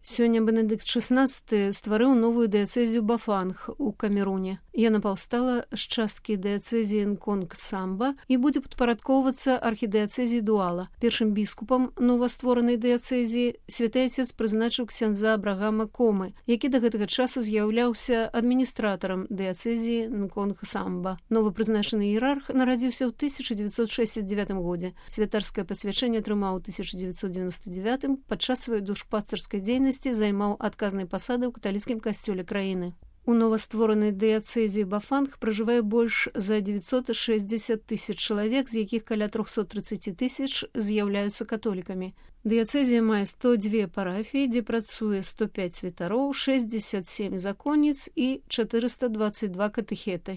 Сёння Бенедыкт XVI стварыў новую дыяцэзію Бафанг у Камеруне. Яна паўстала з часткі дыяцэзіі Нконг-Самба і будзе падпарадкоўвацца архідыяцэзіі Дуала. Першым біскупам новастворанай дыяцэзіі святы Отец прызначыў ксяндза Абрагама Комы, які да гэтага часу з'яўляўся адміністратарам дыяцэзіі Нконг-Самба. Новапрызначаны іерарх нарадзіўся ў 1969 годзе. Святарскае пасвячэнне атрымаў у 1999 падчас сваёй душпастарскай дзейнасці займаў адказнай пасады ў каталіцкім касцёле краіны. У новастворанай дыяцэзіі Бафанг пражывае больш за 960 тысяч чалавек, з якіх каля 330 тысяч з'яўляюцца католікамі. Дыяцэзія мае 102 парафіі, дзе працуе 105 святароў, 67 законніц і 422 катэхеты.